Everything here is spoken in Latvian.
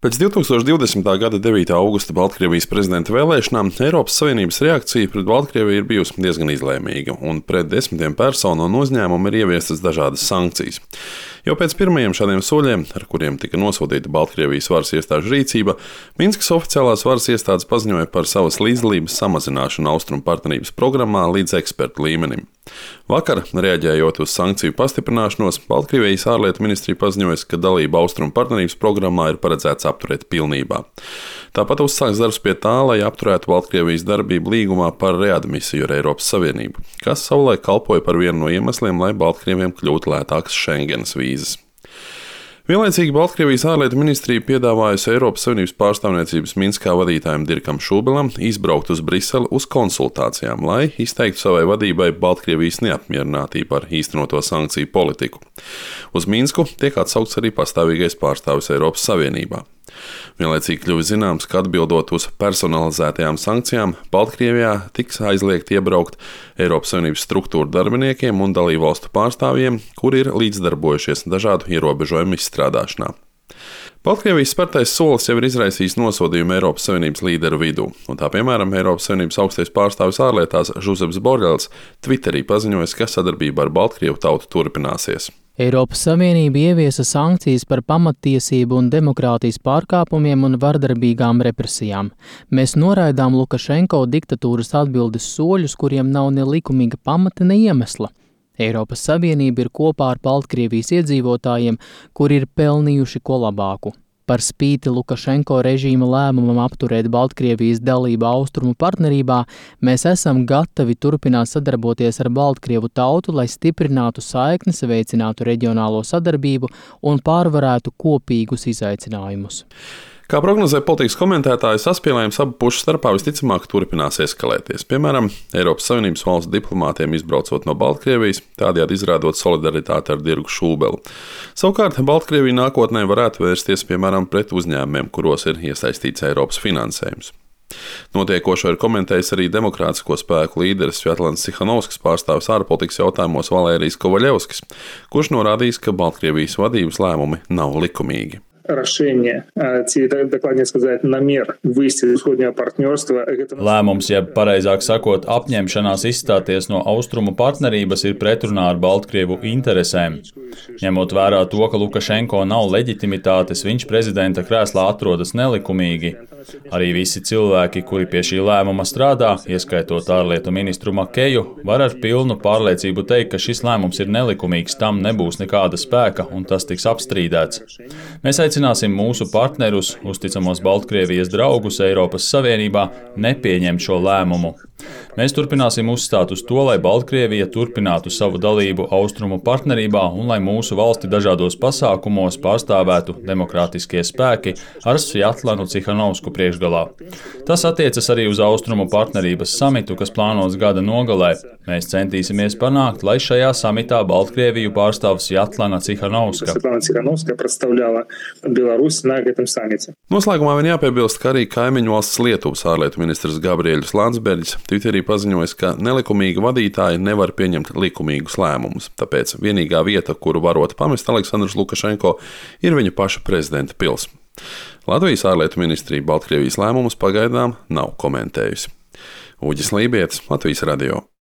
Pēc 2020. gada 9. augusta Baltkrievijas prezidenta vēlēšanām Eiropas Savienības reakcija pret Baltkrieviju ir bijusi diezgan izlēmīga, un pret desmitiem personu un uzņēmumu ir ieviestas dažādas sankcijas. Jau pēc pirmajiem šādiem soļiem, ar kuriem tika nosodīta Baltkrievijas varas iestāžu rīcība, Minskas oficiālās varas iestādes paziņoja par savas līdzdalības samazināšanu Austrumu partnerības programmā līdz ekspertu līmenim. Vakar, reaģējot uz sankciju pastiprināšanos, Baltkrievijas ārlietu ministrija paziņoja, ka dalība Austrumu partnerības programmā ir paredzēts apturēt pilnībā. Tāpat uzsāks darbs pie tā, lai apturētu Baltkrievijas darbību līgumā par readmisiju ar Eiropas Savienību, kas savulaik kalpoja par vienu no iemesliem, lai Baltkrieviem kļūtu lētākas Schengenas vīzas. Vienlaicīgi Baltkrievijas ārlietu ministrija piedāvājusi Eiropas Savienības pārstāvniecības Minskā vadītājam Dirkam Šubelam izbraukt uz Briseli uz konsultācijām, lai izteiktu savai vadībai Baltkrievijas neapmierinātību ar īstenoto sankciju politiku. Uz Minsku tiek atsaukts arī pastāvīgais pārstāvis Eiropas Savienībā. Vienlaicīgi kļuva zināms, ka atbildot uz personalizētajām sankcijām, Baltkrievijā tiks aizliegt iebraukt Eiropas Savienības struktūru darbiniekiem un dalībvalstu pārstāvjiem, kuri ir līdzdarbojušies dažādu ierobežojumu izstrādāšanā. Baltkrievijas spērtais solis jau ir izraisījis nosodījumu Eiropas Savienības līderu vidū, un tā piemēram Eiropas Savienības augstais pārstāvis ārlietās Žuzeps Borels Twitterī paziņoja, ka sadarbība ar Baltkrievu tautu turpināsies. Eiropas Savienība ieviesa sankcijas par pamattiesību un demokrātijas pārkāpumiem un vardarbīgām represijām. Mēs noraidām Lukašenko diktatūras atbildes soļus, kuriem nav ne likumīga pamata, ne iemesla. Eiropas Savienība ir kopā ar Baltkrievijas iedzīvotājiem, kuri ir pelnījuši ko labāku. Par spīti Lukašenko režīma lēmumam apturēt Baltkrievijas dalību Austrumu partnerībā, mēs esam gatavi turpināt sadarboties ar Baltkrievu tautu, lai stiprinātu saiknes, veicinātu reģionālo sadarbību un pārvarētu kopīgus izaicinājumus. Kā prognozē politikas komentētāji, saspīlējums abu pušu starpā visticamāk turpinās eskalēties. Piemēram, Eiropas Savienības valstu diplomātiem izbraucot no Baltkrievijas, tādējādi izrādot solidaritāti ar Dirku Šubelu. Savukārt, Baltkrievija nākotnē varētu vērsties, piemēram, pret uzņēmumiem, kuros ir iesaistīts Eiropas finansējums. Notiekošo ir komentējis arī demokrātisko spēku līderis Svjatlans Cihanovskis, pārstāvis ārpolitikas jautājumos Valērijs Kovaļevskis, kurš norādījis, ka Baltkrievijas vadības lēmumi nav likumīgi. Lēmums, jeb pareizāk sakot, apņemšanās izstāties no Austrumu partnerības ir pretrunā ar Baltkrievu interesēm. Ņemot vērā to, ka Lukašenko nav leģitimitātes, viņš prezidenta krēslā atrodas nelikumīgi. Arī visi cilvēki, kuri pie šī lēmuma strādā, ieskaitot ārlietu ministru Makeju, var ar pilnu pārliecību teikt, ka šis lēmums ir nelikumīgs, tam nebūs nekāda spēka un tas tiks apstrīdēts. Mēs aicināsim mūsu partnerus, uzticamos Baltkrievijas draugus Eiropas Savienībā, nepieņemt šo lēmumu. Mēs turpināsim uzstāt uz to, lai Baltkrievija turpinātu savu dalību Austrumu partnerībā un lai mūsu valsti dažādos pasākumos pārstāvētu demokrātiskie spēki ar Svjatlanu Cihanovsku priekšgalā. Tas attiecas arī uz Austrumu partnerības samitu, kas plānots gada nogalē. Mēs centīsimies panākt, lai šajā samitā Baltkrieviju pārstāv Svjatlana Cihanovska. Noslēgumā vien jāpiebilst, ka arī kaimiņu valsts Lietuvas ārlietu ministrs Gabriēļs Landsbergis Twitterī paziņojis, ka nelikumīgi vadītāji nevar pieņemt likumīgus lēmumus, tāpēc vienīgā vieta, kuru varot pamest Aleksandrs Lukašenko, ir viņa paša prezidenta pils. Latvijas ārlietu ministrija Baltkrievijas lēmumus pagaidām nav komentējusi. Uģis Lībietis, Latvijas radio.